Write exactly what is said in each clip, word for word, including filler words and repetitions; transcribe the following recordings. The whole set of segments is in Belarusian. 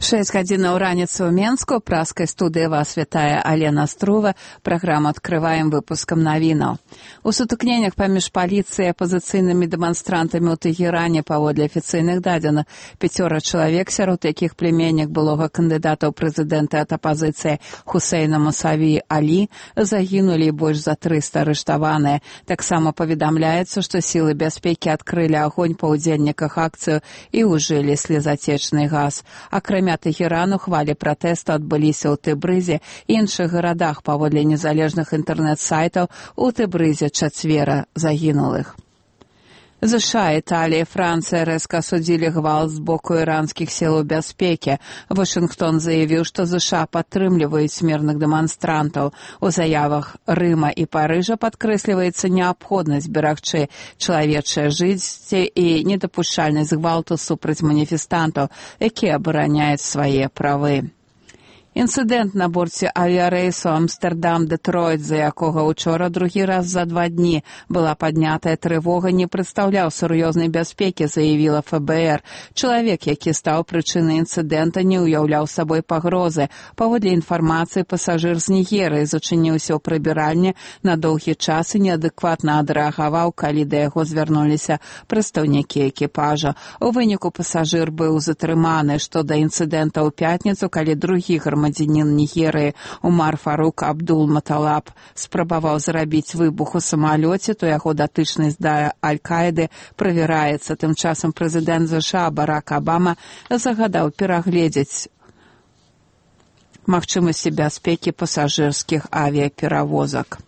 шэсць гадзінаў раніцы ў Менску. Праскай студыі вас вітае Алена Струва. Праграму адкрываем выпускам навінаў. У сутыкненнях паміж паліцыяй і апазіцыйнымі дэманстрантамі ў Тэгеране паводле афіцыйных дадзеных пяцёра чалавек, сярод якіх племяннік былога кандыдата ў прэзідэнты ад апазіцыі Хусейна Мусаві Алі, загінулі і больш за трыста арыштаваныя. Таксама паведамляецца, што сілы бяспекі адкрылі агонь па ўдзельніках акцыю і ўжылі слезатечны газ. Акрамя Тэгерану, хвалі пратэсту адбыліся ў Тэбрызе і іншых гарадах. Паводле незалежных інтэрнэт-сайтаў, у Тэбрызе чацвера загінулых. ЗША, Італія і Францыя рэзка асудзілі гвалт з боку іранскіх сілаў бяспекі. Вашынгтон заявіў, што ЗША падтрымліваюць мірных дэманстрантаў. У заявах Рыма і Парыжа падкрэсліваецца неабходнасць берагчы чалавечае жыцці і недапушчальнасць гвалту супраць маніфестантаў, якія абараняюць свае правы. Інцыдэнт на борце авіярэйсу Амстэрдам-Дэтройт, за якога учора другі раз за два дні была паднятая трывога, не прадстаўляў сур'ёзнай бяспекі, заявіла эф бэ эр. Чалавек, які стаў прычынай інцыдэнта, не ўяўляў сабой пагрозы. Паводле інфармацыі, пасажыр з Нігерыі зачыніўся ў прыбіральні на доўгі час і неадэкватна адрэагаваў, калі да яго звярнуліся прадстаўнікі экіпажа. У выніку пасажыр быў затрыманы. Што да інцыдэнта ў пятніцу, калі другі грамадзянін Грамадзянін Нігерыі Умар Фарук Абдул-Маталаб спрабаваў зрабіць выбух у самалёце, то яго датычнасць да Аль-Каіды правяраецца. Тым часам прэзідэнт ЗША Барак Абама загадаў перагледзець магчымасці бяспекі пасажырскіх авіяперавозак.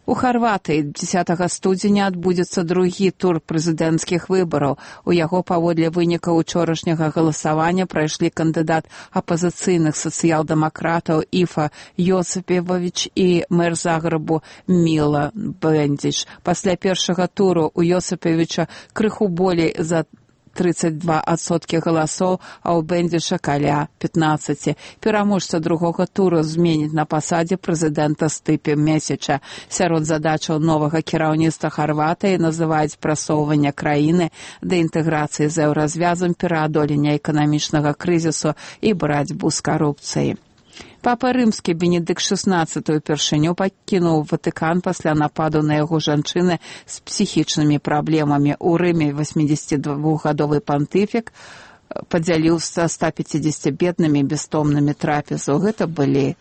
У Харватыі дзесятага студзеня адбудзецца другі тур прэзідэнцкіх выбараў. У яго паводле вынікаў учорашняга галасавання прайшлі кандыдат апазіцыйных сацыял-дэмакратаў Ифа Йосипович і мэр Загрэбу Міла Бендзіч. Пасля першага туру у Йосиповича крыху болей за тридцать два адсоткі галасоў, а ў Бендзіча каля пятнаццаць. Пераможца другога туру зменіць на пасадзе прэзідэнта Стыпе Месіча. Сярод задачаў новага кіраўніцтва Харватыі называюць прасоўванне краіны да інтэграцыі з еўразвязам, пераадолення эканамічнага крызісу і барацьбу з карупцыяй. Папа рымскі Бенедыкт шаснаццаты упершыню пакінуў Ватыкан пасля нападу на яго жанчыны з псіхічнымі праблемамі. У Рыме восьмідзесятидвухгадовы пантыфік падзяліў са ста пяцідзесяці беднымі бястомнымі трапезу. Гэта былі